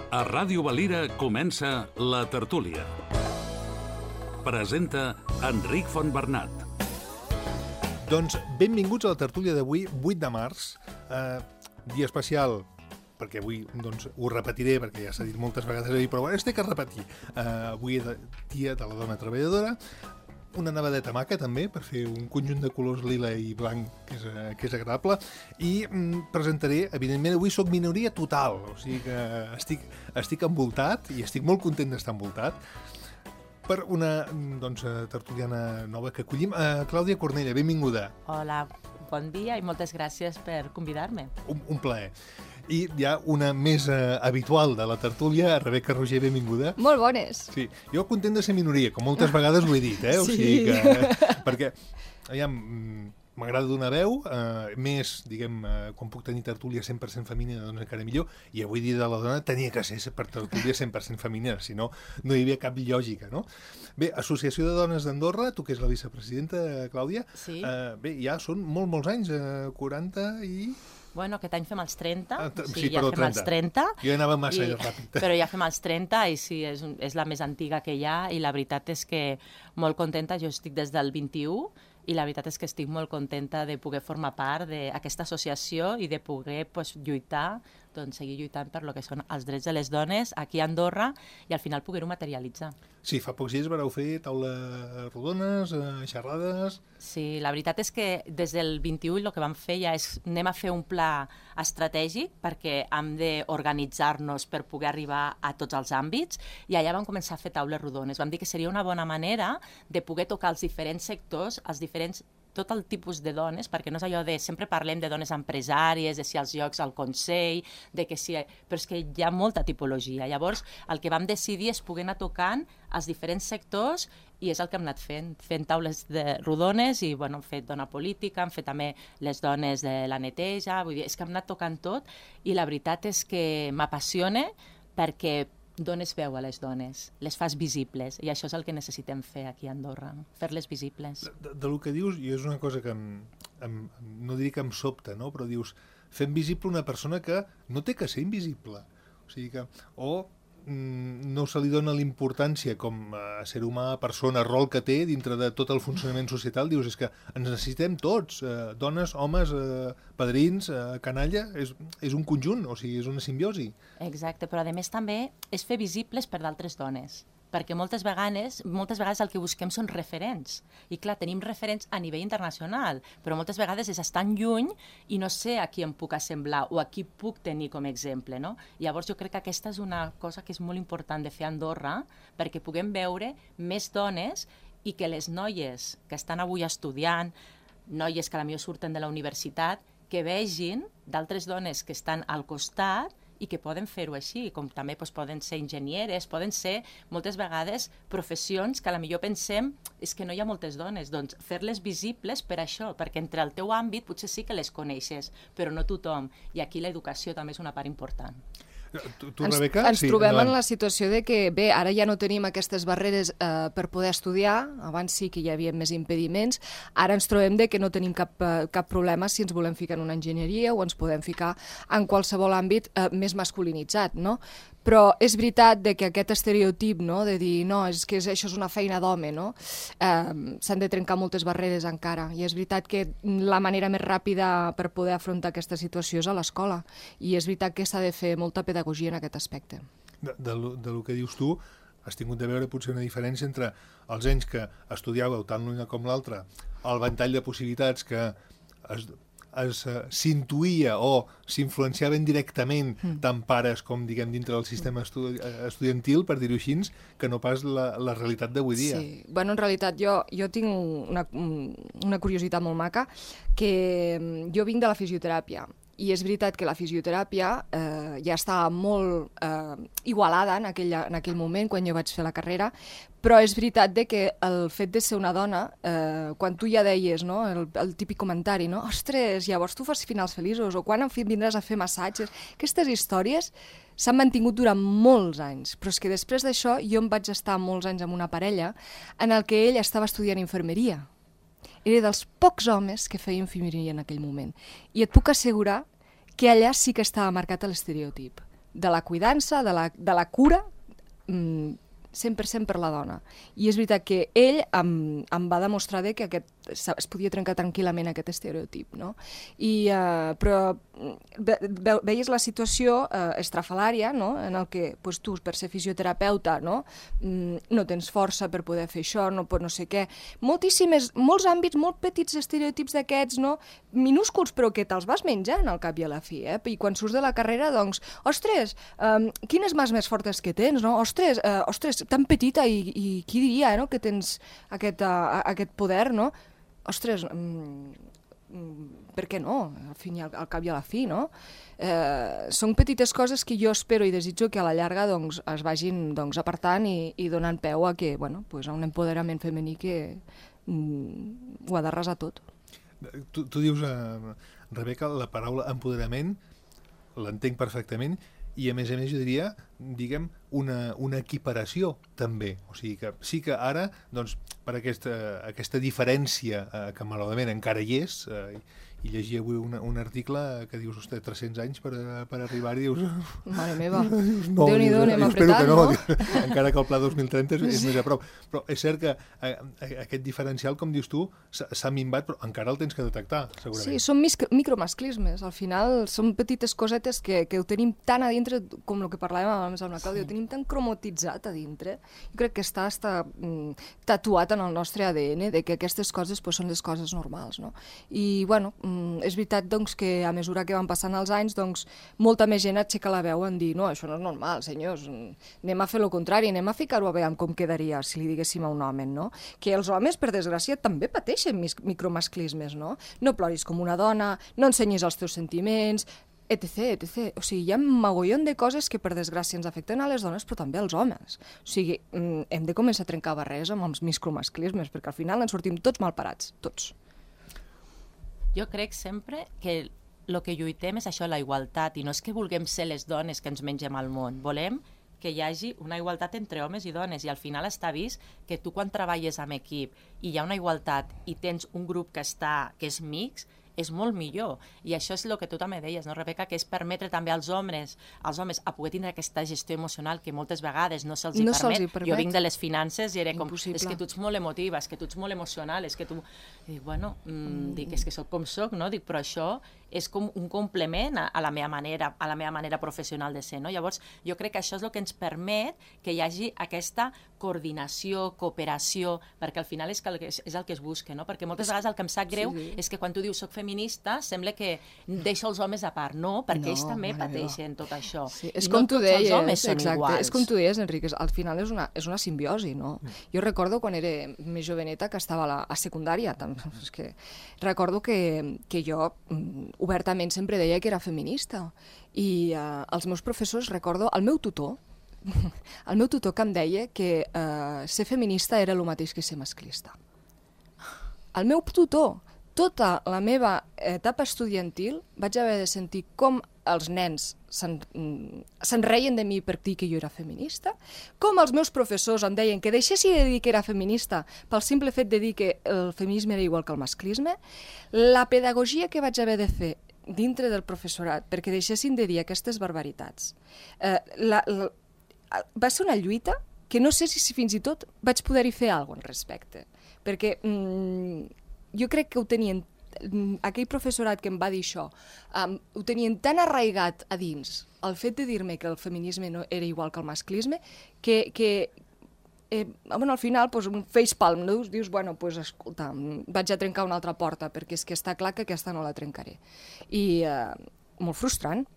A Ràdio Valira comença La Tertúlia. Presenta Enric Fontbernat. Doncs benvinguts a la tertúlia d'avui, 8 de març, dia especial, perquè avui ho repetiré, perquè ja s'ha dit moltes vegades, però es té que repetir. Avui és dia de la dona treballadora, una nevadeta maca també, per fer un conjunt de colors lila i blanc que és agradable, i presentaré, evidentment, avui soc minoria total, o sigui que estic envoltat i estic molt content d'estar envoltat per una tertuliana nova que acollim. Clàudia Cornella, benvinguda. Hola, bon dia i moltes gràcies per convidar-me. Un plaer. I hi ha una més habitual de la tertúlia, Rebeca Roger, benvinguda. Molt bones. Sí, jo content de ser minoria, com moltes vegades ho he dit, O sigui que, perquè, m'agrada donar veu, més, diguem, quan puc tenir tertúlia 100% femenina, doncs encara millor, i avui dia de la dona tenia que ser per tertúlia 100% femenina, si no, no hi havia cap lògica, no? Bé, Associació de Dones d'Andorra, tu que és la vicepresidenta, Clàudia, sí. Bé, ja són molts anys, 40 i... Bueno, aquest any fem els 30, ja fem els 30. Jo anava massa ràpid. Però ja fem els 30 i sí, és la més antiga que hi ha i la veritat és que molt contenta, jo estic des del 21 i la veritat és que estic molt contenta de poder formar part d'aquesta associació i de poder lluitar, seguir lluitant per lo que són els drets de les dones aquí a Andorra i al final poder-ho materialitzar. Sí, fa pocs dies vareu fer taules rodones, xerrades... Sí, la veritat és que des del 21 el que vam fer ja és anem a fer un pla estratègic perquè hem d'organitzar-nos per poder arribar a tots els àmbits i allà vam començar a fer taules rodones. Vam dir que seria una bona manera de poder tocar els diferents sectors, tot el tipus de dones, perquè no és allò de sempre parlem de dones empresàries, de si els llocs al Consell, però és que hi ha molta tipologia. Llavors, el que vam decidir és poder anar tocant els diferents sectors i és el que hem anat fent taules rodones i hem fet dona política, hem fet també les dones de la neteja, vull dir, és que hem anat tocant tot i la veritat és que m'apassiona perquè dones veu a les dones, les fas visibles, i això és el que necessitem fer aquí a Andorra, fer-les visibles. Del que dius, i és una cosa que no diria que em sobta, no? Però dius, fem visible una persona que no té que ser invisible, o sigui que, no se li dona l'importància com a ser humà, persona, rol que té dintre de tot el funcionament societal. Dius, és que ens necessitem tots, dones, homes, padrins, canalla, és un conjunt, o sigui, és una simbiosi. Exacte, però a més també és fer visibles per d'altres dones, perquè moltes vegades el que busquem són referents. I clar, tenim referents a nivell internacional, però moltes vegades és estar lluny i no sé a qui em puc assemblar o a qui puc tenir com a exemple, no? Llavors jo crec que aquesta és una cosa que és molt important de fer a Andorra perquè puguem veure més dones i que les noies que estan avui estudiant, noies que potser surten de la universitat, que vegin d'altres dones que estan al costat i que poden fer-ho així, com també poden ser enginyeres, poden ser moltes vegades professions que potser pensem és que no hi ha moltes dones, doncs fer-les visibles per això, perquè entre el teu àmbit potser sí que les coneixes, però no tothom, i aquí l'educació també és una part important. Tu, Rebeca? Ens trobem en la situació de que, bé, ara ja no tenim aquestes barreres per poder estudiar, abans sí que hi havia més impediments, ara ens trobem de que no tenim cap problema si ens volem ficar en una enginyeria o ens podem ficar en qualsevol àmbit més masculinitzat, no? Però és veritat que aquest estereotip, no?, de dir, no, és que això és una feina d'home, no? S'han de trencar moltes barreres encara, i és veritat que la manera més ràpida per poder afrontar aquesta situació és a l'escola, i és veritat que s'ha de fer molta pedagogia en aquest aspecte. Del que dius tu, has tingut de veure potser una diferència entre els anys que estudiàveu tant l'una com l'altra, el ventall de possibilitats que s'intuïa o s'influenciaven directament tant pares com, diguem, dintre del sistema estudiantil, per dir-ho així, que no pas la realitat d'avui dia. Sí, bueno, en realitat jo tinc una curiositat molt maca, que jo vinc de la fisioteràpia, i és veritat que la fisioteràpia ja estava molt igualada en aquell moment, quan jo vaig fer la carrera, però és veritat que el fet de ser una dona, quan tu ja deies, no, el típic comentari, no, ostres, llavors tu fas finals feliços, o quan vindràs a fer massatges, aquestes històries s'han mantingut durant molts anys, però és que després d'això jo em vaig estar molts anys amb una parella en el que ell estava estudiant infermeria. Era dels pocs homes que feia infermeria en aquell moment. I et puc assegurar que allà sí que estava marcat l'estereotip. de la cuidança, de la cura, 100% per la dona. I és veritat que ell em va demostrar que es podia trencar tranquil·lament aquest estereotip, no? Però veies la situació estrafalària, no? En el que tu, per ser fisioterapeuta, no tens força per poder fer això, no sé què. Molts àmbits, molt petits estereotips d'aquests, no? Minúsculs, però que te'ls vas menjant al cap i a la fi, I quan surts de la carrera, doncs, ostres, quines mans més fortes que tens, no? Ostres, tan petita i qui diria, no?, que tens aquest poder, no? Ostres, per què no? Al cap i a la fi, no? Són petites coses que jo espero i desitjo que a la llarga es vagin apartant i donant peu a un empoderament femení que ho ha d'arrasar tot. Tu dius, Rebeca, la paraula empoderament, l'entenc perfectament, i a més jo diria, diguem, una equiparació també. O sigui que sí que ara, doncs, per aquesta diferència que malauradament encara hi és, i llegia avui un article que dius, ostres, 300 anys per arribar-hi, dius... Mare meva, Déu-n'hi-do, anem apretant, no? Encara que el pla 2030 és més a prop. Però és cert que aquest diferencial, com dius tu, s'ha minvat, però encara el tens que detectar, segurament. Sí, són micromasclismes. Al final són petites cosetes que ho tenim tan a dintre, com el que parlàvem abans amb la Clàudia, ho tenim tan cromotitzat a dintre. Jo crec que està tatuat en el nostre ADN, de que aquestes coses són les coses normals, no? I, bueno, és veritat doncs, que a mesura que van passant els anys molta més gent aixeca la veu en dir no, això no és normal, senyors, anem a fer el contrari, anem a ficar-ho a veure com quedaria si li diguéssim a un home, no? Que els homes, per desgràcia, també pateixen micromasclismes, no? No ploris com una dona, no ensenyis els teus sentiments, etc, etc. O sigui, hi ha un mogollon de coses que per desgràcia ens afecten a les dones, però també als homes. O sigui, hem de començar a trencar barreres amb els micromasclismes, perquè al final ens sortim tots mal parats, tots. Jo crec sempre que el que lluitem és això, la igualtat, i no és que vulguem ser les dones que ens mengem al món, volem que hi hagi una igualtat entre homes i dones, i al final està vist que tu quan treballes amb equip i hi ha una igualtat i tens un grup que és mixt, és molt millor. I això és el que tu també deies, no, Rebeca, que és permetre també als homes a poder tindre aquesta gestió emocional que moltes vegades no se'ls permet. Jo vinc de les finances i era com, és que tu ets molt emotiva, és que tu ets molt emocional, és que tu... I dic, bueno, és que soc com soc, no? Dic, però això és com un complement a la meva manera professional de ser, no? Llavors, jo crec que això és el que ens permet que hi hagi aquesta coordinació, cooperació, perquè al final és el que es busca, no? Perquè moltes vegades el que em sap greu és que quan tu dius soc feminista, sembla que deixo els homes a part. No, perquè ells també pateixen tot això. És com tu deies, exacte, és com tu deies, Enric, al final és una simbiosi, no? Jo recordo quan era més joveneta, que estava a secundària, és que recordo que jo obertament sempre deia que era feminista, i els meus professors, recordo, el meu tutor que em deia que ser feminista era el mateix que ser masclista. El meu tutor, tota la meva etapa estudiantil, vaig haver de sentir com els nens se'n reien de mi per dir que jo era feminista, com els meus professors em deien que deixessi de dir que era feminista pel simple fet de dir que el feminisme era igual que el masclisme, la pedagogia que vaig haver de fer dintre del professorat perquè deixessin de dir aquestes barbaritats. Va ser una lluita que no sé si fins i tot vaig poder-hi fer alguna cosa al respecte, perquè jo crec que ho tenien, aquell professorat que em va dir això, ho tenien tan arraigat a dins, el fet de dir-me que el feminisme no era igual que el masclisme, que al final, un facepalm, no? Dius, bueno, escolta, vaig a trencar una altra porta, perquè és que està clar que aquesta no la trencaré. I molt frustrant.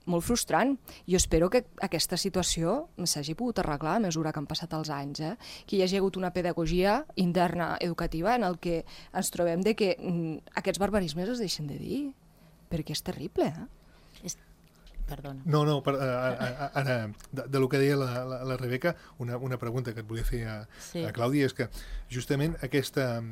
Jo espero que aquesta situació s'hagi pogut arreglar a mesura que han passat els anys, que hi hagi hagut una pedagogia interna educativa en el que ens trobem de que aquests barbarismes es deixen de dir, perquè és terrible, Perdona. No, ara, de lo que deia la Rebeca, una pregunta que et volia fer a Clàudia és que justament aquesta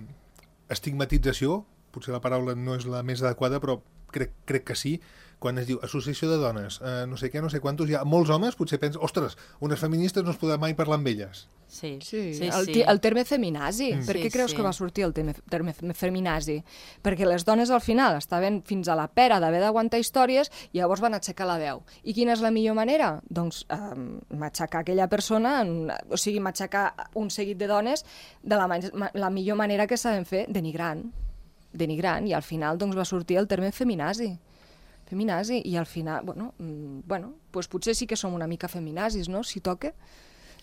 estigmatització, potser la paraula no és la més adequada, però crec que sí, quan es diu associació de dones, no sé què, no sé quantos, hi ha molts homes, potser pensen, ostres, unes feministes no es podrà mai parlar amb elles. Sí, el terme feminazi. Per què creus que va sortir el terme feminazi? Perquè les dones al final estaven fins a la pera d'haver d'aguantar històries i llavors van aixecar la veu. I quina és la millor manera? Doncs matxacar aquella persona, o sigui, matxacar un seguit de dones de la millor manera que saben fer, denigrant, i al final doncs, va sortir el terme feminazi, i al final, bueno, doncs potser sí que som una mica feminazis, no?, si toca.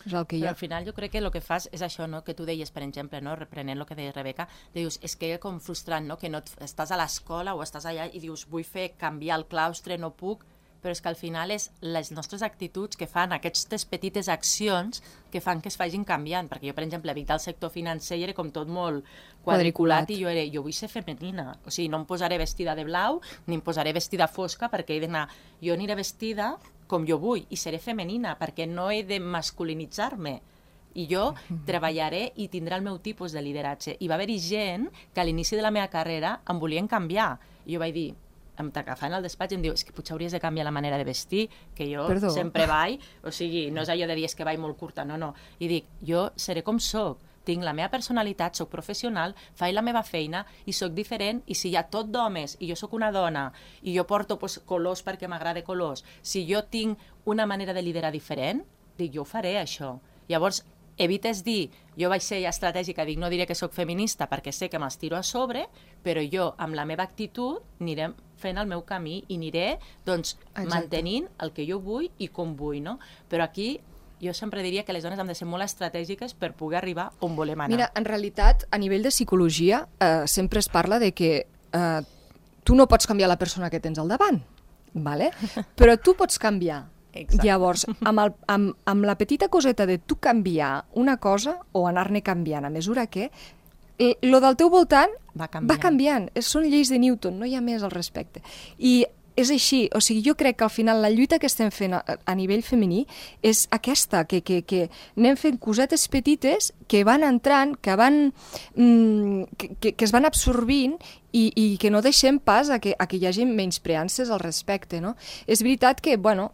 És el que hi ha. Però al final jo crec que el que fas és això, no?, que tu deies, per exemple, no?, reprenent el que deia Rebeca, dius, és que com frustrant, no?, que no estàs a l'escola o estàs allà i dius, vull canviar el claustre, no puc, però és que al final és les nostres actituds que fan aquestes petites accions que fan que es vagin canviant, perquè jo, per exemple, vinc del sector financer i era com tot molt quadriculat i jo vull ser femenina, o sigui, no em posaré vestida de blau ni em posaré vestida fosca perquè he d'anar, jo aniré vestida com jo vull i seré femenina perquè no he de masculinitzar-me i jo treballaré i tindré el meu tipus de lideratge. I va haver-hi gent que a l'inici de la meva carrera em volien canviar i jo vaig dir, em t'agafant al despatx i em diu, és que potser hauries de canviar la manera de vestir, que jo sempre vaig, o sigui, no és allò de dir que vaig molt curta, no. I dic, jo seré com soc, tinc la meva personalitat, soc professional, faig la meva feina i soc diferent, i si hi ha tot d'homes i jo sóc una dona i jo porto colors perquè m'agrada colors, si jo tinc una manera de liderar diferent, dic, jo ho faré, això. Llavors, evites dir, jo vaig ser ja estratègica, dic, no diré que sóc feminista perquè sé que me'ls tiro a sobre, però jo, amb la meva actitud, aniré fent el meu camí i aniré, doncs, mantenint el que jo vull i com vull, no? Però aquí jo sempre diria que les dones han de ser molt estratègiques per poder arribar on volem anar. Mira, en realitat, a nivell de psicologia, sempre es parla de que tu no pots canviar la persona que tens al davant, ¿vale? Però tu pots canviar. Exacte. Llavors, amb la petita coseta de tu canviar una cosa o anar-ne canviant a mesura que lo del teu voltant va canviant. Són lleis de Newton, no hi ha més al respecte. I és així, o sigui, jo crec que al final la lluita que estem fent a nivell femení és aquesta, que anem fent cosetes petites que van entrant, que es van absorbint i que no deixem pas a que hi hagi menyspreances al respecte, no? És veritat que, bueno,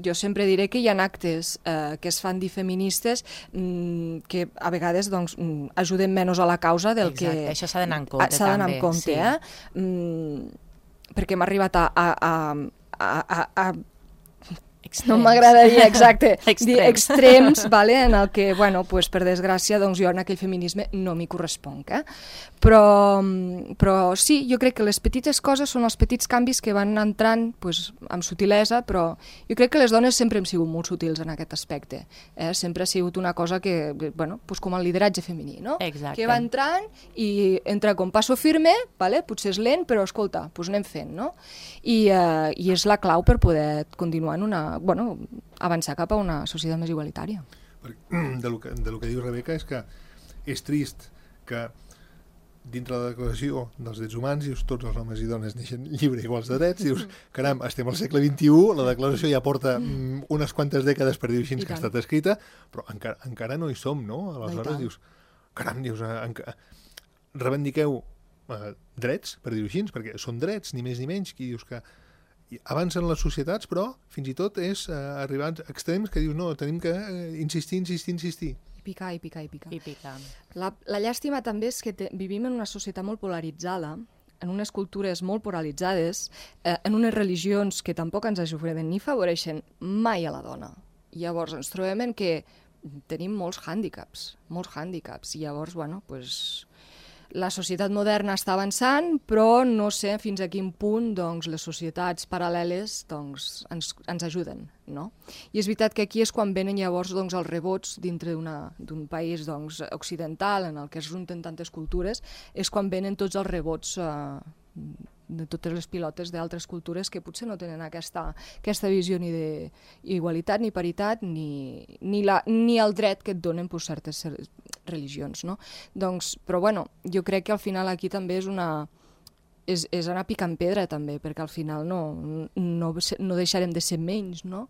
jo sempre diré que hi ha actes que es fan dir feministes que a vegades doncs, ajuden menys a la causa del que... Exacte, això s'ha d'anar en compte, també. S'ha d'anar en compte, perquè m'ha arribat a no m'agradaria, exacte, dir extrems, vale, en el que, bueno, pues, per desgràcia, doncs jo en aquell feminisme no m'hi corresponc, Però sí, jo crec que les petites coses són els petits canvis que van entrant pues, amb sutilesa, però jo crec que les dones sempre hem sigut molt sutils en aquest aspecte. Sempre ha sigut una cosa que, bueno, pues com el lideratge femení, no? Exacte. Que va entrant i entra com passo firme, vale? Potser és lent, però escolta, pues anem fent, no? I és la clau per poder continuar en bueno, avançar cap a una societat més igualitària. De lo que diu Rebeca és que és trist que dintre la Declaració dels Drets Humans dius tots els homes i dones neixen lliures i iguals de drets, dius, caram, estem al segle XXI, la Declaració ja porta unes quantes dècades per dir-ho així que ha estat escrita, però encara no hi som, no? Aleshores dius, caram, reivindiqueu drets, per dir-ho així, perquè són drets, ni més ni menys, que dius que avancen les societats, però fins i tot és arribar a extrems que dius, no, tenim que insistir. I picar. La llàstima també és que vivim en una societat molt polaritzada, en unes cultures molt polaritzades, en unes religions que tampoc ens ajuden ni favoreixen mai a la dona. I llavors ens trobem en que tenim molts hàndicaps. I llavors, bueno, pues, la societat moderna està avançant, però no sé fins a quin punt doncs, les societats paral·leles doncs, ens ajuden, no? I és veritat que aquí és quan venen llavors doncs, els rebots dintre d'un país doncs, occidental en el que es junten tantes cultures, és quan venen tots els rebots de totes les pilotes d'altres cultures que potser no tenen aquesta visió ni d'igualitat, ni paritat, ni el dret que et donen per certes religions, no? Doncs, però bueno, jo crec que al final aquí també és anar picant pedra també, perquè al final no deixarem de ser menys, no?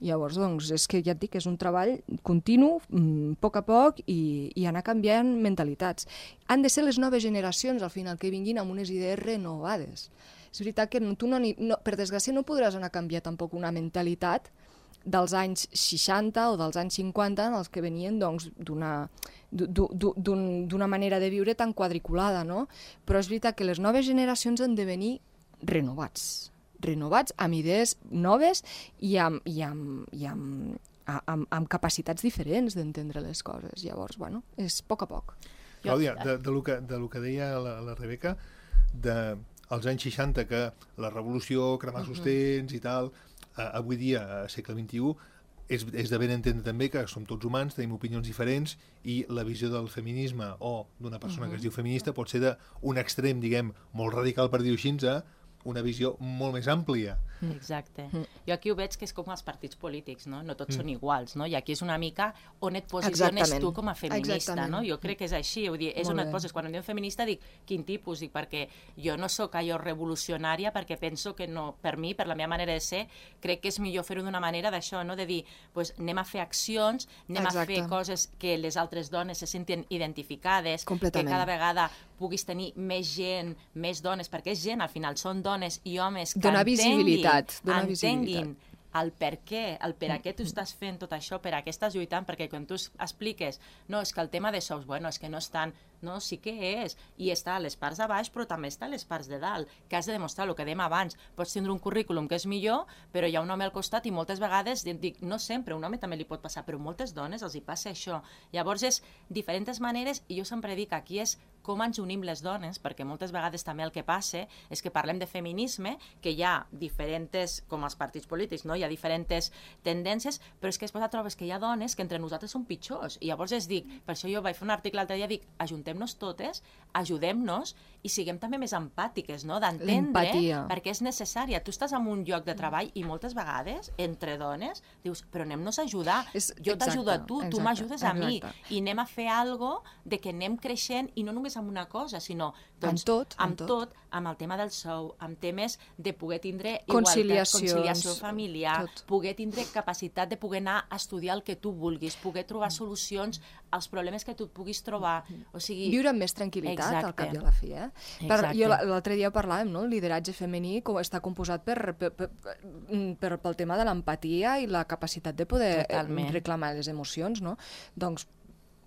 Llavors, doncs, és que ja et dic, és un treball continu, a poc, i anar canviant mentalitats. Han de ser les noves generacions, al final, que vinguin amb unes idees renovades. És veritat que tu per desgràcia no podràs anar a canviar tampoc una mentalitat dels anys 60 o dels anys 50 en els que venien doncs, d'una manera de viure tan quadriculada, no? Però és veritat que les noves generacions han de venir renovats amb idees noves i amb capacitats diferents d'entendre les coses. Llavors, bueno, és a poc. Clàudia, de lo que deia la Rebeca, als anys 60, que la revolució, cremar sostens i tal, avui dia, a segle XXI, és de ben entendre també que som tots humans, tenim opinions diferents i la visió del feminisme o d'una persona que es diu feminista pot ser d'un extrem, diguem, molt radical, per dir-ho així, a una visió molt més àmplia. Exacte. Jo aquí ho veig que és com els partits polítics, no? No tots són iguals, no? I aquí és una mica on et posiciones tu com a feminista, no? Jo crec que és així, vull dir, és on et poses. Quan em diuen feminista dic, quin tipus? Dic, perquè jo no sóc allò revolucionària, perquè penso que no, per mi, per la meva manera de ser, crec que és millor fer-ho d'una manera d'això, no? De dir, pues, anem a fer accions, anem a fer coses que les altres dones se sentin identificades, que cada vegada puguis tenir més gent, més dones, perquè és gent, al final són dones i homes que entenguin el per què, el per a què tu estàs fent tot això, per a què estàs lluitant, perquè quan tu expliques, no, és que el tema de sous, bueno, és que no estan, no, sí que és, i està a les parts de baix, però també està a les parts de dalt, que has de demostrar el que dèiem abans, pots tindre un currículum que és millor, però hi ha un home al costat i moltes vegades, dic, no sempre, un home també li pot passar, però moltes dones els hi passa això. Llavors és diferents maneres, i jo sempre dic, aquí és com ens unim les dones, perquè moltes vegades també el que passa és que parlem de feminisme, que hi ha diferents, com els partits polítics, no? Hi ha diferents tendències, però és que després trobes que hi ha dones que entre nosaltres són pitjors. I llavors dic, per això jo vaig fer un article l'altre dia, dic, ajuntem-nos totes, ajudem-nos i siguem també més empàtiques, no? D'entendre, perquè és necessària. Tu estàs en un lloc de treball i moltes vegades, entre dones, dius, però anem-nos a ajudar. Jo t'ajudo a tu, tu m'ajudes a mi, i anem a fer alguna cosa de que anem creixent, i no només amb una cosa, sinó doncs, amb tot, amb el tema del sou, amb temes de poder tindre igualtat, conciliació familiar, poder tindre capacitat de poder anar a estudiar el que tu vulguis, poder trobar solucions als problemes que tu puguis trobar. O sigui, viure amb més tranquil·litat, al cap i a la fi. Jo l'altre dia parlàvem, no? El lideratge femení està composat pel tema de l'empatia i la capacitat de poder reclamar les emocions, no? Doncs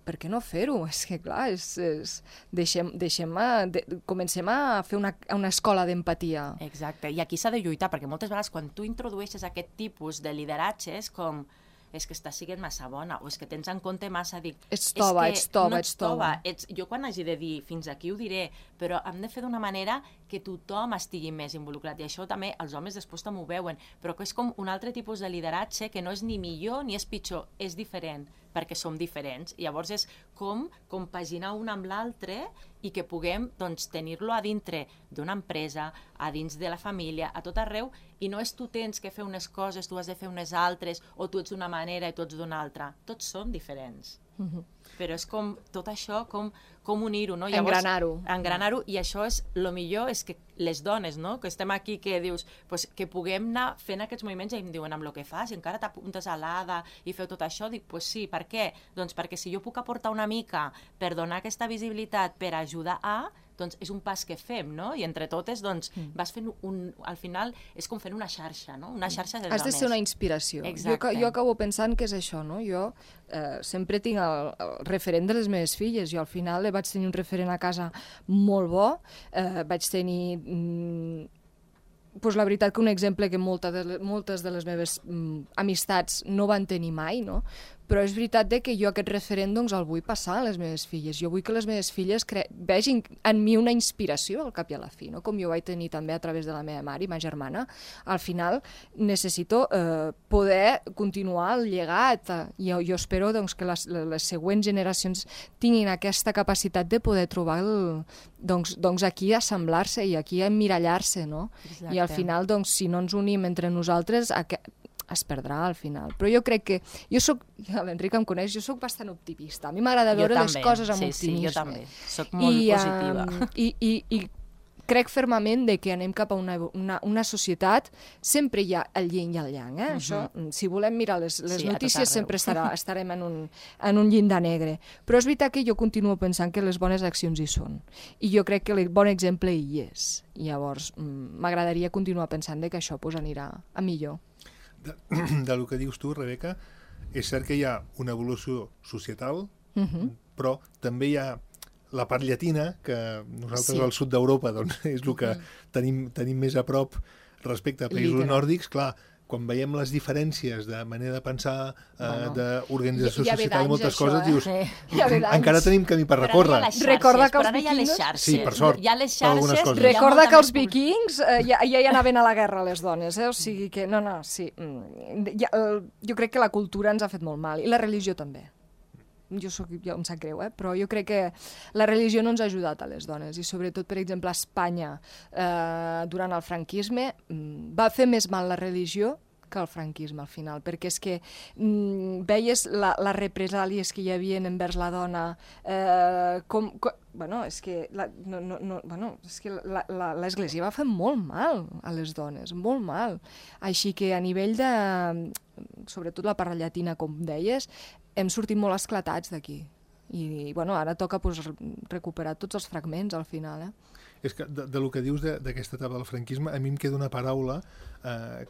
per què no fer-ho? És que, clar, comencem a fer una escola d'empatia. Exacte, i aquí s'ha de lluitar, perquè moltes vegades quan tu introdueixes aquest tipus de lideratge és com, és que estàs sent massa bona, o és que tens en compte massa, dic... Ets tova. Jo quan hagi de dir fins aquí ho diré, però hem de fer d'una manera que tothom estigui més involucrat, i això també els homes després també ho veuen, però que és com un altre tipus de lideratge que no és ni millor ni és pitjor, és diferent, perquè som diferents. I llavors és com compaginar un amb l'altre i que puguem tenir-lo a dintre d'una empresa, a dins de la família, a tot arreu, i no és tu tens que fer unes coses, tu has de fer unes altres, o tu ets d'una manera i tu ets d'una altra. Tots són diferents. Però és com tot això, com unir-ho, no? Engranar-ho, i això és, el millor és que les dones, no? Que estem aquí, que dius, que puguem anar fent aquests moviments, i em diuen, amb el que fas, i encara t'apuntes a l'ADA i feu tot això, dic, pues sí, per què? Doncs perquè si jo puc aportar una mica per donar aquesta visibilitat, per ajudar a, doncs és un pas que fem, no? I entre totes, doncs, vas fent al final, és com fent una xarxa, no? Una xarxa de dones. Has de ser una inspiració. Jo acabo pensant que és això, no? Jo sempre tinc el referent de les meves filles. Jo al final vaig tenir un referent a casa molt bo, vaig tenir... la veritat que un exemple que moltes de les meves amistats no van tenir mai, no? Però és veritat que jo aquest referent el vull passar a les meves filles. Jo vull que les meves filles vegin en mi una inspiració al cap i a la fi, no? Com jo vaig tenir també a través de la meva mare i ma germana. Al final necessito poder continuar el llegat. Jo espero que les següents generacions tinguin aquesta capacitat de poder trobar aquí assemblar-se i aquí emmirallar-se, no? I al final, si no ens unim entre nosaltres, es perdrà al final. Però jo crec que... l'Enric em coneix, jo soc bastant optimista. A mi m'agrada veure les coses amb optimisme. Sí, jo també. Soc molt positiva. I crec fermament de que anem cap a una societat, sempre hi ha el yin i el yang, Això, si volem mirar les notícies sempre estarem en un llindar negre. Però és veritat que jo continuo pensant que les bones accions hi són. I jo crec que el bon exemple hi és. I llavors m'agradaria continuar pensant que això anirà a millor. Del que dius tu, Rebeca, és cert que hi ha una evolució societal, però també hi ha la part llatina, que nosaltres al sud d'Europa doncs, és el que tenim més a prop respecte a països nòrdics. Clar, quan veiem les diferències de manera de pensar, d'organització societal i moltes coses, dius, encara tenim camí per recórrer. Recorda que els vikings... Sí, per sort, per algunes coses. Recorda que els vikings ja hi anaven a la guerra, les dones, O sigui que, sí. Jo crec que la cultura ens ha fet molt mal, i la religió també. Jo em sap greu, però jo crec que la religió no ens ha ajudat a les dones, i sobretot, per exemple, a Espanya, durant el franquisme, va fer més mal la religió que el franquisme, al final, perquè és que veies les represàlies que hi havia envers la dona, és que l'Església va fer molt mal a les dones, molt mal. Així que a nivell de, sobretot la part llatina, com deies, hem sortit molt esclatats d'aquí. I ara toca recuperar tots els fragments al final. És que del que dius d'aquesta etapa del franquisme, a mi em queda una paraula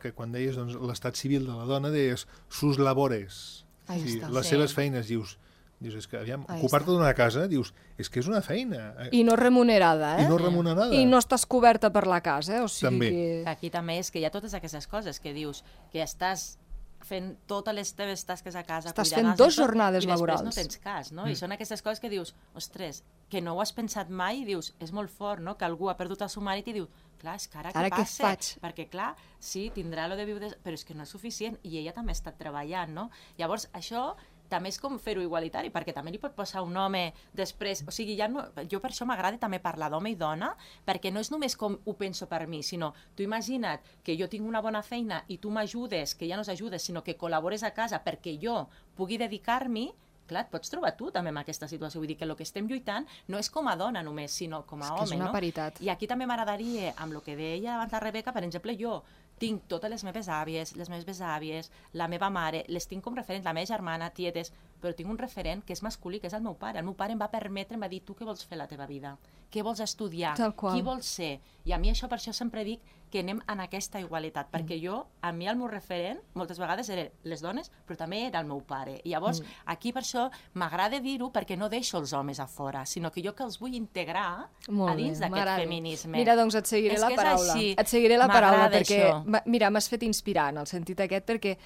que quan deies l'estat civil de la dona, deies sus labores. Les seves feines, dius, és que, aviam, ocupar-te d'una casa, dius, és que és una feina. I no remunerada, I no remunerada. I no estàs coberta per la casa, o sigui també. Que... Aquí també és que hi ha totes aquestes coses que dius, que estàs fent totes les teves tasques a casa, estàs fent 2 jornades laborals. I després no tens cas, no? I són aquestes coses que dius, ostres, que no ho has pensat mai, i dius, és molt fort, no?, que algú ha perdut el seu marit i diu, clar, és que ara què passa? Faig? Perquè, clar, sí, tindrà lo de viure, però és que no és suficient, i ella també ha estat treballant, no? Llavors, això també és com fer-ho igualitari, perquè també li pot posar un home després, o sigui, jo per això m'agrada també parlar d'home i dona, perquè no és només com ho penso per mi, sinó, tu imagina't que jo tinc una bona feina i tu m'ajudes, que ja no s'ajudes, sinó que col·labores a casa perquè jo pugui dedicar-m'hi, clar, et pots trobar tu també en aquesta situació. Vull dir que el que estem lluitant no és com a dona només, sinó com a home, no? És una paritat. I aquí també m'agradaria, amb el que deia abans la Rebeca, per exemple, jo tinc totes les meves àvies, les meves besàvies, la meva mare, les tinc com referents, la meva germana, tietes, però tinc un referent que és masculí, que és el meu pare. El meu pare em va permetre, em va dir, tu què vols fer a la teva vida? Què vols estudiar? Qui vols ser? I a mi això, per això sempre dic que anem en aquesta igualitat, perquè jo, a mi el meu referent, moltes vegades eren les dones, però també era el meu pare. I llavors, aquí per això m'agrada dir-ho, perquè no deixo els homes a fora, sinó que jo que els vull integrar a dins d'aquest feminisme. Mira, doncs et seguiré la paraula. Et seguiré la paraula, perquè, mira, m'has fet inspirar en el sentit aquest, perquè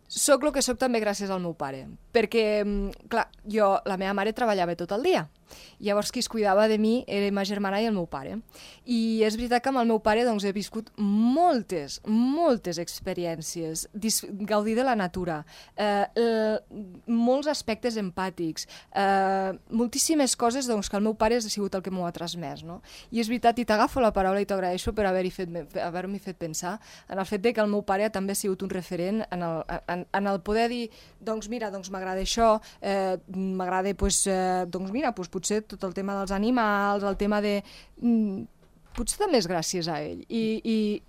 soc el que soc també gràcies al meu pare, perquè, clar, la meva mare treballava tot el dia, llavors qui es cuidava de mi era ma germana i el meu pare, i és veritat que amb el meu pare doncs, he viscut moltes experiències, gaudir de la natura, molts aspectes empàtics, moltíssimes coses doncs, que el meu pare ha sigut el que m'ho ha transmès, no? I és veritat, i t'agafo la paraula i t'agraeixo per haver-m'hi fet pensar en el fet que el meu pare també ha sigut un referent en el poder dir, doncs mira, doncs m'agrada això, m'agrada, doncs mira, potser tot el tema dels animals, el tema de... Potser també és gràcies a ell. I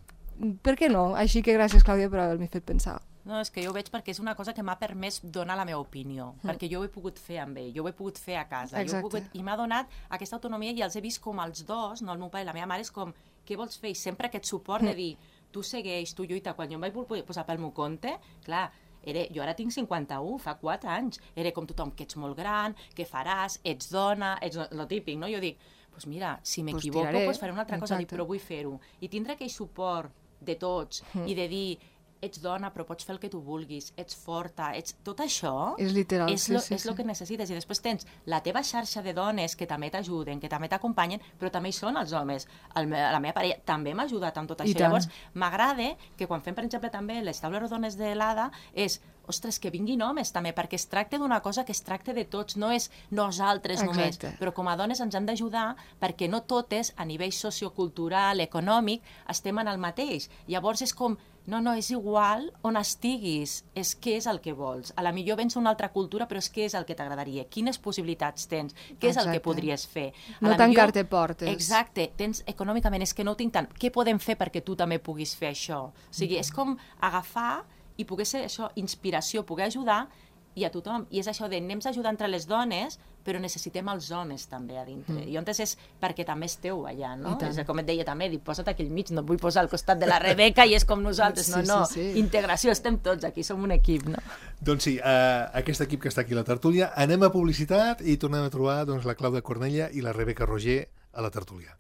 per què no? Així que gràcies, Clàudia, per haver-m'hi fet pensar. No, és que jo ho veig perquè és una cosa que m'ha permès donar la meva opinió, perquè jo ho he pogut fer amb ell, jo ho he pogut fer a casa, i m'ha donat aquesta autonomia i els he vist com els dos, no el meu pare i la meva mare, és com, què vols fer? I sempre aquest suport de dir, tu segueix, tu lluita. Quan jo em vaig posar pel meu compte, clar, jo ara tinc 51, fa 4 anys, era com tothom, que ets molt gran, què faràs, ets dona, ets lo típic, no? Jo dic, doncs mira, si m'equivoco, faré una altra cosa, però vull fer-ho. I tindre aquell suport de tots i de dir, ets dona, però pots fer el que tu vulguis, ets forta, tot això és literal, és el que necessites. I després tens la teva xarxa de dones que també t'ajuden, que també t'acompanyen, però també hi són els homes. La meva parella també m'ha ajudat amb tot això. Llavors, m'agrada que quan fem, per exemple, també les taules rodones de l'ADA, és ostres, que vinguin homes també, perquè es tracta d'una cosa que es tracta de tots, no és nosaltres només, però com a dones ens han d'ajudar perquè no totes, a nivell sociocultural, econòmic, estem en el mateix. Llavors és com, No, és igual on estiguis, és què és el que vols. A la millor vens a una altra cultura, però és què és el que t'agradaria, quines possibilitats tens, què és el que podries fer. No tancar-te portes. Exacte, tens econòmicament, és que no ho tinc tant, què podem fer perquè tu també puguis fer això? O sigui, és com agafar i poder ser això, inspiració, poder ajudar i a tothom. I és això de anem a ajudar entre les dones, però necessitem els homes també a dintre. I llavors és perquè també esteu allà, no? És com et deia també, posa't aquí al mig, no et vull posar al costat de la Rebeca i és com nosaltres. No, integració, estem tots aquí, som un equip, no? Doncs sí, aquest equip que està aquí a la tertúlia, anem a publicitat i tornem a trobar la Clàudia Cornella i la Rebeca Roger a la tertúlia.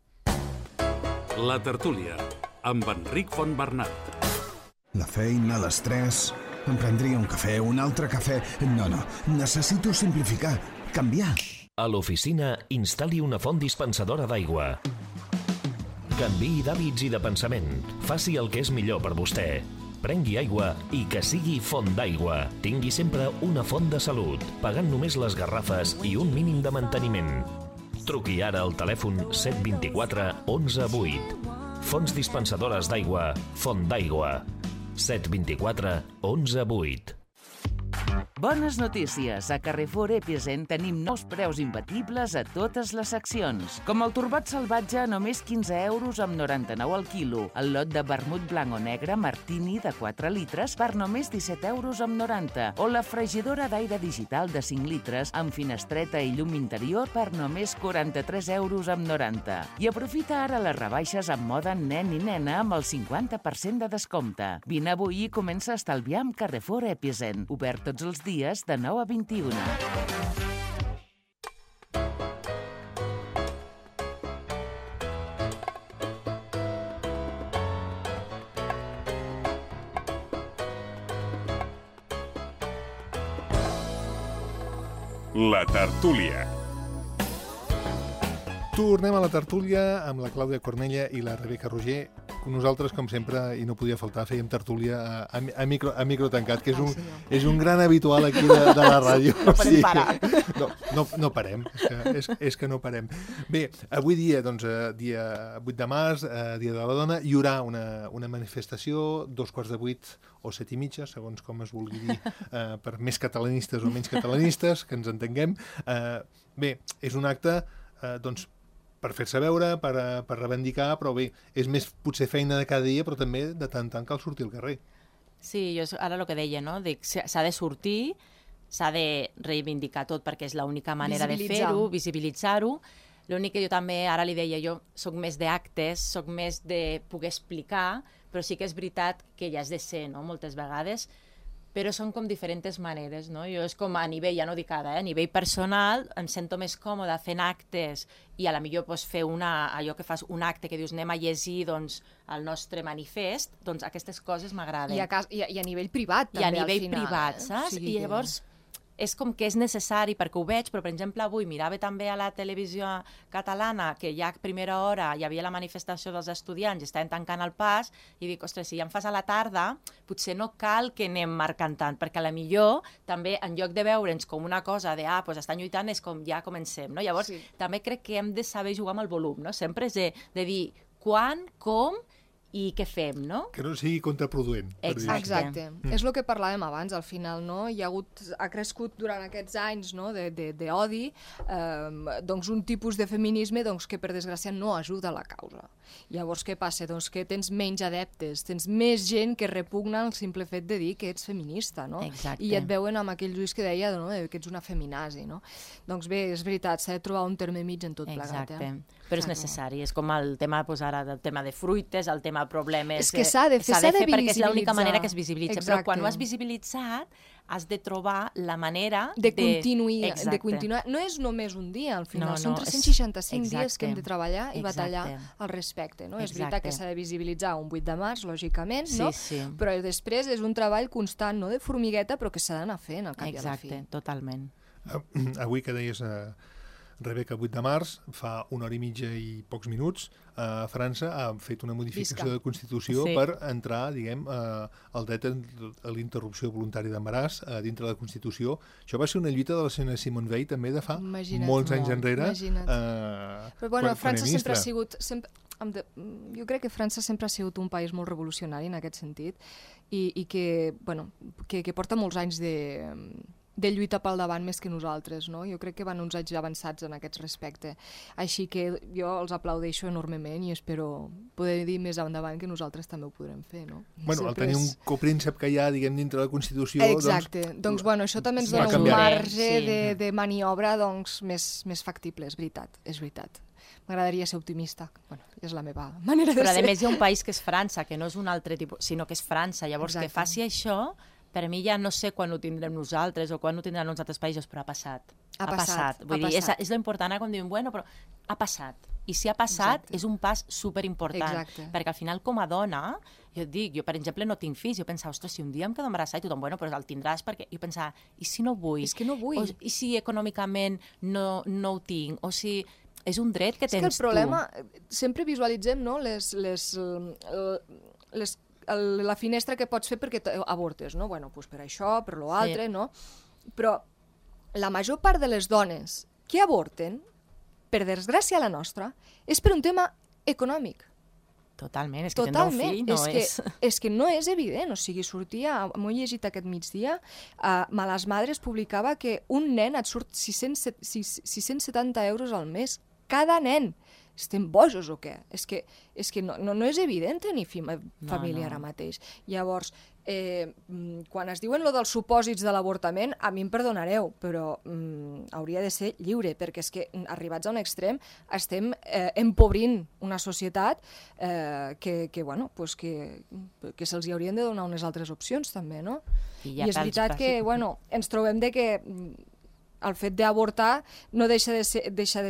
La tertúlia, amb Enric Fontbernat. La feina, l'estrès... Em prendria un cafè, un altre cafè... No, necessito simplificar, canviar. A l'oficina, instal·li una font dispensadora d'aigua. Canviï d'hàbits i de pensament. Faci el que és millor per vostè. Prengui aigua i que sigui font d'aigua. Tingui sempre una font de salut, pagant només les garrafes i un mínim de manteniment. Truqui ara al telèfon 724 11 8. Fonts dispensadores d'aigua, Font d'Aigua. 724 11 8. Bones notícies. A Carrefour Epicent tenim nous preus imbatibles a totes les seccions. Com el torbat salvatge a només 15 euros amb 99 al quilo. El lot de vermut blanc o negre Martini de 4 litres per només 17 euros amb 90. O la fregidora d'aire digital de 5 litres amb finestreta i llum interior per només 43 euros amb 90. I aprofita ara les rebaixes amb moda nen i nena amb el 50% de descompte. Vine avui i comença a estalviar amb Carrefour Epicent. Obert tots els dies de 9 a 21. La tertúlia. Tornem a la tertúlia amb la Clàudia Cornella i la Rebeca Roger. Nosaltres, com sempre, i no podia faltar, fèiem tertúlia a micro tancat, que és un gran habitual aquí de la ràdio. No podem parar. No parem, és que no parem. Bé, avui dia, dia 8 de març, dia de la dona, hi haurà una manifestació, 7:15 o 7:30, segons com es vulgui dir, per més catalanistes o menys catalanistes, que ens entenguem. Bé, és un acte, per fer-se veure, per reivindicar, però bé, és més potser feina de cada dia, però també de tant en tant cal sortir al carrer. Sí, jo ara el que deia, no? S'ha de sortir, s'ha de reivindicar tot, perquè és l'única manera de fer-ho, visibilitzar-ho. L'únic que jo també, ara li deia, jo soc més d'actes, soc més de poder explicar, però sí que és veritat que ja has de ser, no?, moltes vegades, però són com diferents maneres, no? Jo és com a nivell, ja no dic ara, a nivell personal, em sento més còmode fent actes i a la millor fer allò que fas un acte que dius anem a llegir el nostre manifest, doncs aquestes coses m'agraden. I a nivell privat també, al final. I a nivell privat, saps? I llavors és com que és necessari, perquè ho veig, però per exemple avui mirava també a la televisió catalana que ja a primera hora hi havia la manifestació dels estudiants i estaven tancant el pas i dic, ostres, si ja em fas a la tarda, potser no cal que anem marcant tant, perquè a la millor també en lloc de veure'ns com una cosa de doncs estan lluitant, és com ja comencem, no? Llavors també crec que hem de saber jugar amb el volum, no? Sempre és de dir quan, com i què fem, no? Que no sigui contraproduent. Exacte. És el que parlàvem abans, al final, no? Ha crescut durant aquests anys, no?, d'odi, doncs un tipus de feminisme que per desgràcia no ajuda a la causa. Llavors què passa? Doncs que tens menys adeptes, tens més gent que repugna el simple fet de dir que ets feminista, no? Exacte. I et veuen amb aquells ulls que deia, no?, que ets una feminazi, no? Doncs bé, és veritat, s'ha de trobar un terme mig en tot plegat. Exacte. Però és necessari, és com el tema, ara, del tema de fruites, el tema de problemes... És que s'ha de fer perquè és l'única manera que es visibilitza. Però quan ho has visibilitzat, has de trobar la manera de continuar. No és només un dia, al final. Són 365 dies que hem de treballar i batallar al respecte. És veritat que s'ha de visibilitzar un 8 de març, lògicament, però després és un treball constant, no de formigueta, però que s'ha d'anar fent al cap i a la fi. Exacte, totalment. Avui que deies... Rebeca, 8 de març, fa 1 hora i mitja i pocs minuts, a França ha fet una modificació de Constitució per entrar, diguem, el dret a l'interrupció voluntària d'embaràs dintre de la Constitució. Això va ser una lluita de la senyora Simone Veil també de fa molts anys enrere. Però bueno, França sempre ha sigut... jo crec que França sempre ha sigut un país molt revolucionari en aquest sentit i que porta molts anys de lluita pel davant més que nosaltres, no? Jo crec que van uns anys avançats en aquest respecte. Així que jo els aplaudeixo enormement i espero poder dir més endavant que nosaltres també ho podrem fer, no? Bueno, al tenir un copríncep que hi ha, diguem, dintre de la Constitució... Exacte. Doncs bueno, això també ens dona un marge de maniobra més factible, és veritat. M'agradaria ser optimista. Bueno, és la meva manera de ser. Però a més hi ha un país que és França, que no és un altre tipus, sinó que és França. Llavors, que faci això... Per mi ja no sé quan ho tindrem nosaltres o quan ho tindran uns altres països, però ha passat. Ha passat. Vull dir, és l'important quan diuen, bueno, però ha passat. I si ha passat, és un pas superimportant. Perquè al final, com a dona, jo et dic, jo per exemple no tinc fills, jo pensava, ostres, si un dia em quedo embarassada i tothom, bueno, però el tindràs perquè... Jo pensava, i si no vull? És que no vull. I si econòmicament no ho tinc? O si... És un dret que tens tu. És que el problema, sempre visualitzem, no?, la finestra que pots fer perquè avortes, no? Bueno, doncs per això, per l'altre, no? Però la major part de les dones que avorten, per desgràcia la nostra, és per un tema econòmic. Totalment, és que tindre un fill no és... És que no és evident, o sigui, m'ho he llegit aquest migdia, Malas Madres publicava que un nen et surt 670 euros al mes, cada nen. Estem bojos o què? És que no és evident tenir família ara mateix. Llavors, quan es diuen lo dels supòsits de l'avortament, a mi em perdonareu, però hauria de ser lliure, perquè és que arribats a un extrem estem empobrint una societat que se'ls haurien de donar unes altres opcions també, no? I és veritat que ens trobem de que el fet d'avortar no deixa de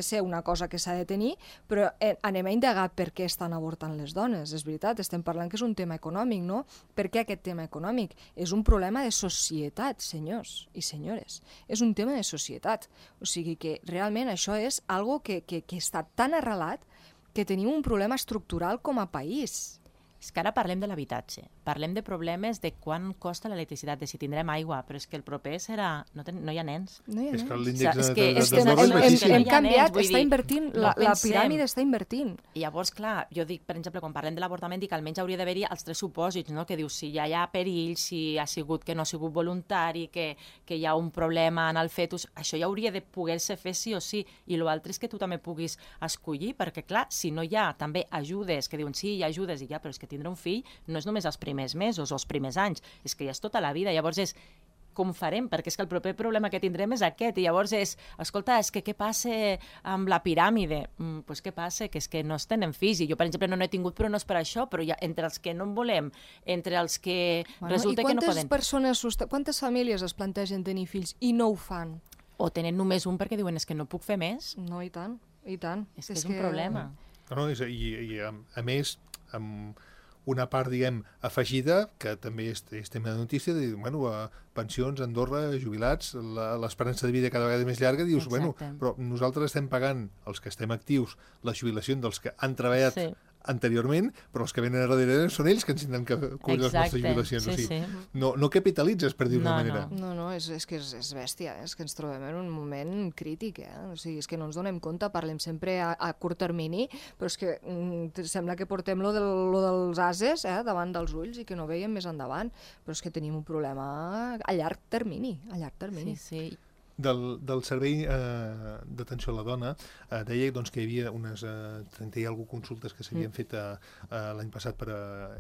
ser una cosa que s'ha de tenir, però anem a indagar per què estan avortant les dones. És veritat, estem parlant que és un tema econòmic, no? Per què aquest tema econòmic? És un problema de societat, senyors i senyores. És un tema de societat. O sigui que realment això és algo que està tan arrelat que tenim un problema estructural com a país. És que ara parlem de l'habitatge, parlem de problemes de quant costa l'electricitat, de si tindrem aigua, però és que el proper serà... No hi ha nens. No hi ha nens. És que l'índex de desigualtat hem canviat, està invertint, la piràmide està invertint. I llavors, clar, jo dic, per exemple, quan parlem de l'avortament, dic que almenys hauria d'haver-hi els tres supòsits, no? Que dius, si ja hi ha perill, si ha sigut que no ha sigut voluntari, que hi ha un problema en el fetus, això ja hauria de poder-se fer sí o sí, i l'altre és que tu també puguis escollir, perquè, clar, si no hi ha també ajudes, que diuen, sí, hi ha ajudes, i ja, però és que tindre un fill no és només els primers mesos o els primers anys, és que ja és tota la vida. Llavors és com farem, perquè és que el proper problema que tindrem és aquest, i llavors és, escolta, és que què passa amb la piràmide? Doncs què passa? Que és que no es tenen fills, i jo, per exemple, no n'he tingut, però no és per això, però ja, entre els que no en volem, entre els que resulta que no poden... Quantes famílies es plantegen tenir fills i no ho fan? O tenen només un perquè diuen, és que no puc fer més? No, i tant, i tant. És que és un problema. No, i a més, amb una part, diguem, afegida, que també és tema de notícia, de dir, bueno, pensions, Andorra, jubilats, l'esperança de vida cada vegada més llarga, dius, bueno, però nosaltres estem pagant, els que estem actius, la jubilació dels que han treballat anteriorment, però els que venen a darrere són ells que ens tindran que cobrir les nostres jubilacions. O sigui, no capitalitzes, per dir-ho d'una manera. No, és que és bèstia, és que ens trobem en un moment crític, o sigui, és que no ens donem compte, parlem sempre a curt termini, però és que sembla que portem lo dels ases davant dels ulls i que no veiem més endavant, però és que tenim un problema a llarg termini, Sí. Del Servei d'Atenció a la Dona deia doncs, que hi havia unes 30 i alguna consultes que s'havien fet l'any passat per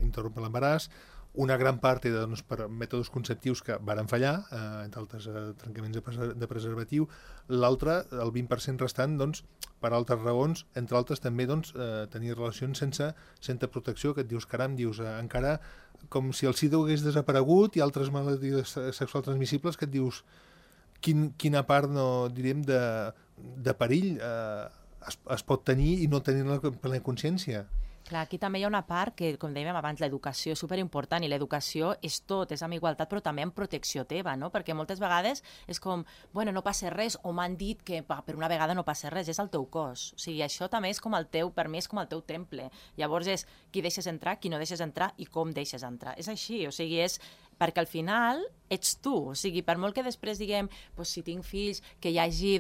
interrompre l'embaràs. Una gran part era per mètodes conceptius que varen fallar, entre altres trencaments de preservatiu. L'altre, el 20% restant, doncs, per altres raons, entre altres també tenir relacions sense protecció, que et dius, caram, encara com si el SIDA hagués desaparegut i altres malalties sexuals transmissibles que et dius quina part, diríem, de perill es pot tenir i no tenir-ne plena consciència. Clar, aquí també hi ha una part que, com dèiem abans, l'educació és superimportant, i l'educació és tot, és amb igualtat, però també amb protecció teva, no? Perquè moltes vegades és com, bueno, no passa res, o m'han dit que per una vegada no passa res, és el teu cos. O sigui, això també és com el teu, per mi és com el teu temple. Llavors és qui deixes entrar, qui no deixes entrar i com deixes entrar. És així, o sigui, és perquè al final ets tu, o sigui, per molt que després diguem, si tinc fills, que hi hagi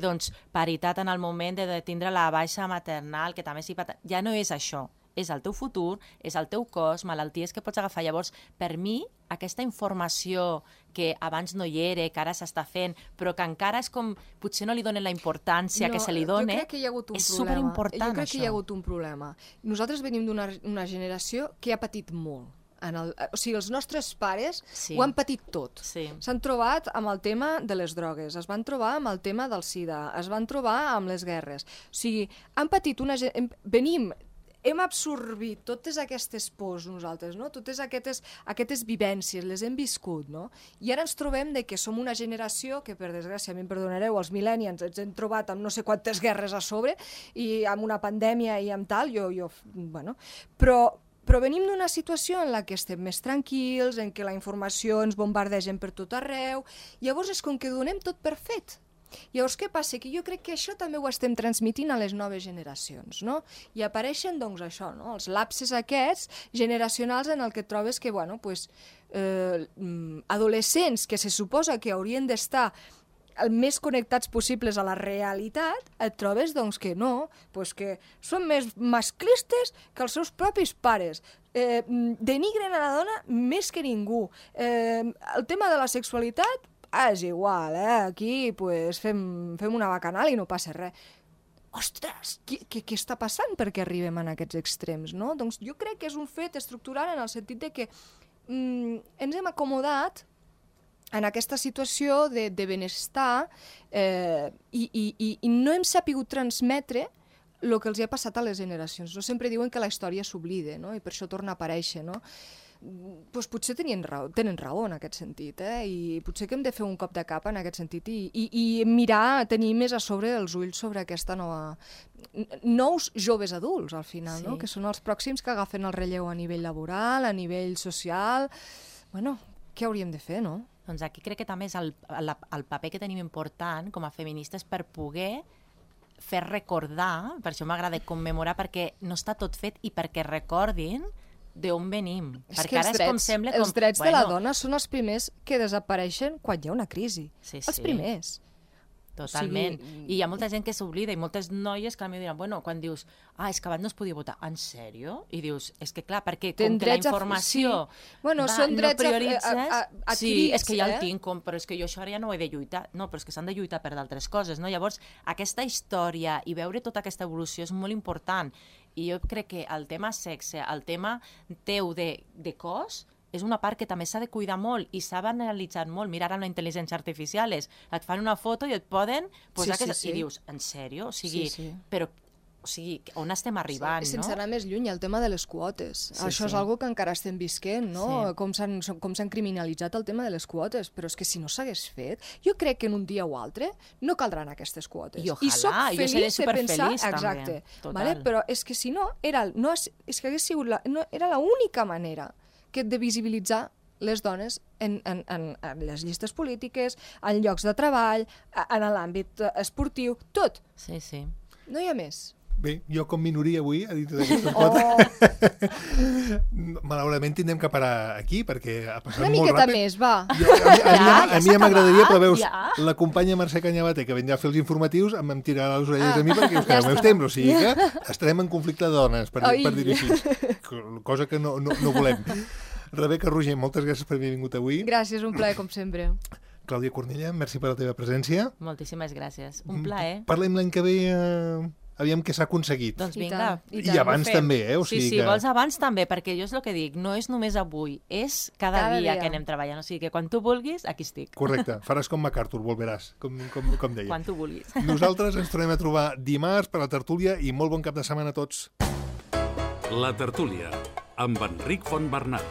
paritat en el moment de tindre la baixa maternal, que també ja no és això. és el teu futur, és el teu cos, malalties que pots agafar. Llavors, per mi, aquesta informació que abans no hi era, que ara s'està fent, però que encara és com, potser no li donen la importància que se li dona, jo crec que hi ha hagut un és problema. superimportant, Jo crec això. que hi ha hagut un problema. Nosaltres venim d'una generació que ha patit molt. O sigui, els nostres pares ho han patit tot. S'han trobat amb el tema de les drogues, es van trobar amb el tema del sida, es van trobar amb les guerres. O sigui, han patit hem absorbit totes aquestes pors nosaltres, no? Totes aquestes vivències, les hem viscut, no? I ara ens trobem que som una generació que, per desgràcia, em perdonareu, els millennials ens hem trobat amb no sé quantes guerres a sobre i amb una pandèmia i amb tal, però venim d'una situació en la que estem més tranquils, en què la informació ens bombardegen per tot arreu, llavors és com que donem tot per fet. Llavors, què passa? Que jo crec que això també ho estem transmitint a les noves generacions, no? I apareixen, doncs, això, no? Els lapses aquests generacionals en el que trobes que, adolescents que se suposa que haurien d'estar el més connectats possibles a la realitat, et trobes, doncs, que no, que són més masclistes que els seus propis pares. Denigren a la dona més que ningú. El tema de la sexualitat és igual, aquí fem una bacanal i no passa res. Ostres, què està passant perquè arribem a aquests extrems, no? Doncs jo crec que és un fet estructural en el sentit de que ens hem acomodat en aquesta situació de benestar i no hem sapigut transmetre el que els ha passat a les generacions. No sempre diuen que la història s'oblida, no? I per això torna a aparèixer, no? Doncs potser tenen raó en aquest sentit, i potser que hem de fer un cop de cap en aquest sentit i mirar, tenir més a sobre els ulls sobre aquesta nous joves adults, al final, no? Que són els pròxims que agafen el relleu a nivell laboral, a nivell social. Què hauríem de fer, no? Doncs aquí crec que també és el paper que tenim important com a feministes per poder fer recordar, per això m'agrada commemorar, perquè no està tot fet i perquè recordin d'on venim. Perquè ara els drets de la dona són els primers que desapareixen quan hi ha una crisi. Els primers. Totalment. I hi ha molta gent que s'oblida i moltes noies que a mi diran, quan dius, és que abans no es podia votar, en sèrio? I dius, és que clar, perquè com que la informació no prioritzes... Sí, és que ja el tinc, però és que jo això ara ja no ho he de lluitar. No, però és que s'han de lluitar per d'altres coses, no? Llavors, aquesta història i veure tota aquesta evolució és molt important. I jo crec que el tema sexe, el tema teu de cos, és una part que també s'ha de cuidar molt i s'ha banalitzat molt. Mira ara la intel·ligència artificial, et fan una foto i et poden posar i dius, en sèrio? Però on estem arribant, no? Sense anar més lluny, el tema de les quotes. Això és una que encara estem visquent, no? Com s'han criminalitzat el tema de les quotes, però és que si no s'hagués fet, jo crec que en un dia o altre no caldran aquestes quotes. I ojalà, jo seré superfeliç també. Exacte, però és que si no, era l'única manera de visibilitzar les dones en les llistes polítiques, en llocs de treball, en l'àmbit esportiu, tot. Sí. No hi ha més. Bé, jo com minoria avui, a dit d'aquesta quota, malauradament tindrem que parar aquí, perquè ha passat molt ràpid. Una miqueta més, va. A mi ja m'agradaria, però veus, la companya Mercè Cañabate, que vindrà a fer els informatius, em tirarà les orelles a mi perquè us quedeu meus temps, o sigui que estarem en conflicte de dones, per dir-ho així, cosa que no volem. Rebeca Roger, moltes gràcies per haver vingut avui. Gràcies, un plaer, com sempre. Clàudia Cornella, merci per la teva presència. Moltíssimes gràcies, un plaer. Parlem l'any que ve... Aviam què s'ha aconseguit. Doncs vinga. I abans també, O sigui sí, vols abans també, perquè jo és el que dic, no és només avui, és cada dia que anem treballant. O sigui que quan tu vulguis, aquí estic. Correcte, faràs com MacArthur, volveràs, com deia. Quan tu vulguis. Nosaltres ens tornem a trobar dimarts per la tertúlia i molt bon cap de setmana a tots. La tertúlia, amb Enric Fontbernat.